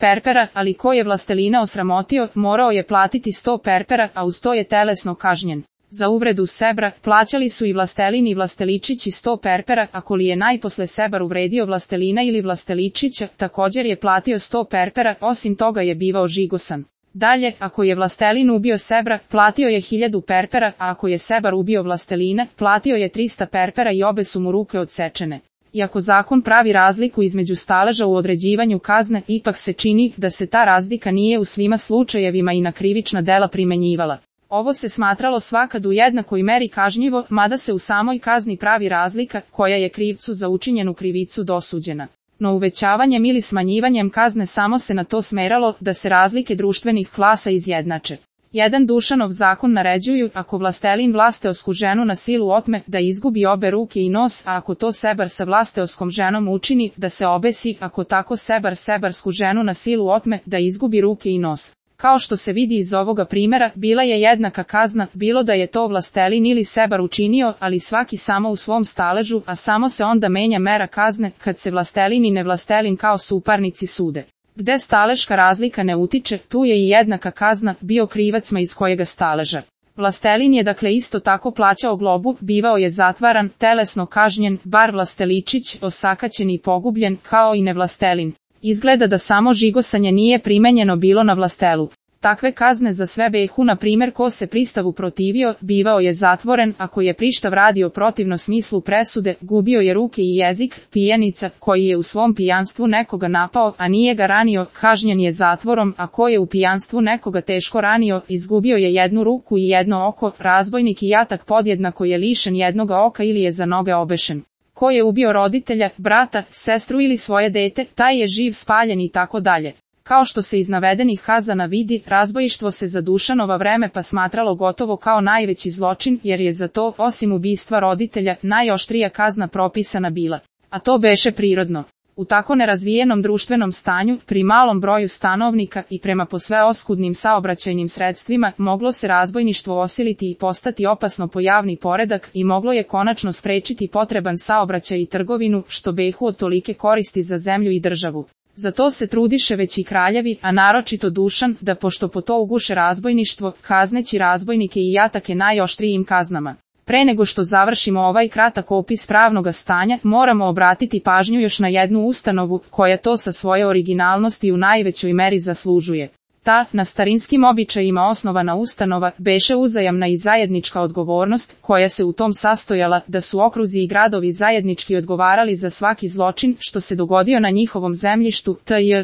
perpera, ali ko je vlastelina osramotio, morao je platiti 100 perpera, a uz to je telesno kažnjen. Za uvredu sebra, plaćali su i vlastelin i vlasteličić i 100 perpera, ako li je najposle sebar uvredio vlastelina ili vlasteličića, također je platio 100 perpera, osim toga je bivao žigosan. Dalje, ako je vlastelin ubio sebra, platio je 1000 perpera, a ako je sebar ubio vlastelina, platio je 300 perpera i obe su mu ruke odsečene. Iako zakon pravi razliku između staleža u određivanju kazne, ipak se čini da se ta razlika nije u svima slučajevima i na krivična dela primenjivala. Ovo se smatralo svakad u jednakoj meri kažnjivo, mada se u samoj kazni pravi razlika, koja je krivcu za učinjenu krivicu dosuđena. No uvećavanjem ili smanjivanjem kazne samo se na to smeralo da se razlike društvenih klasa izjednače. Jedan Dušanov zakon naređuju, ako vlastelin vlasteosku ženu na silu otme, da izgubi obe ruke i nos, a ako to sebar sa vlasteoskom ženom učini, da se obesi, ako tako sebar sebarsku ženu na silu otme, da izgubi ruke i nos. Kao što se vidi iz ovoga primjera, bila je jednaka kazna, bilo da je to vlastelin ili sebar učinio, ali svaki samo u svom staležu, a samo se onda menja mera kazne, kad se vlastelin i nevlastelin kao suparnici sude. Gde staleška razlika ne utiče, tu je i jednaka kazna, bio krivacma iz kojega staleža. Vlastelin je dakle isto tako plaćao globu, bivao je zatvaran, telesno kažnjen, bar vlasteličić, osakaćen i pogubljen, kao i nevlastelin. Izgleda da samo žigosanje nije primenjeno bilo na vlastelu. Takve kazne za sve behu, na primjer ko se pristavu protivio, bivao je zatvoren, ako je prištav radio protivno smislu presude, gubio je ruke i jezik, pijanica, koji je u svom pijanstvu nekoga napao, a nije ga ranio, kažnjen je zatvorom, a ko je u pijanstvu nekoga teško ranio, izgubio je jednu ruku i jedno oko, razbojnik i jatak podjednako je lišen jednoga oka ili je za noge obešen. Ko je ubio roditelja, brata, sestru ili svoje dete, taj je živ spaljen i tako dalje. Kao što se iz navedenih kazana vidi, razbojištvo se za Dušanova vreme pa smatralo gotovo kao najveći zločin, jer je za to, osim ubistva roditelja, najoštrija kazna propisana bila. A to beše prirodno. U tako nerazvijenom društvenom stanju, pri malom broju stanovnika i prema posve oskudnim saobraćajnim sredstvima, moglo se razbojništvo osiliti i postati opasno po javni poredak i moglo je konačno sprečiti potreban saobraćaj i trgovinu, što behu od tolike koristi za zemlju i državu. Za to se trudiše već i kraljevi, a naročito Dušan, da pošto po to uguše razbojništvo, kazneći razbojnike i jatake najoštrijim kaznama. Pre nego što završimo ovaj kratak opis pravnoga stanja, moramo obratiti pažnju još na jednu ustanovu, koja to sa svoje originalnosti u najvećoj meri zaslužuje. Ta, na starinskim običajima osnovana ustanova, beše uzajamna i zajednička odgovornost, koja se u tom sastojala, da su okruzi i gradovi zajednički odgovarali za svaki zločin, što se dogodio na njihovom zemljištu,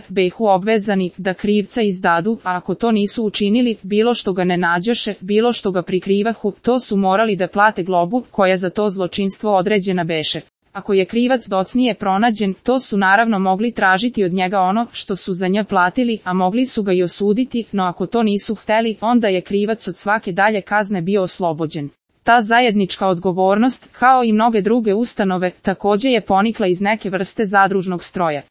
behu obvezani, da krivca izdadu, a ako to nisu učinili, bilo što ga ne nađoše, bilo što ga prikrivahu, to su morali da plate globu, koja za to zločinstvo određena beše. Ako je krivac docnije pronađen, to su naravno mogli tražiti od njega ono što su za nje platili, a mogli su ga i osuditi, no ako to nisu hteli, onda je krivac od svake dalje kazne bio oslobođen. Ta zajednička odgovornost, kao i mnoge druge ustanove, također je ponikla iz neke vrste zadružnog stroja.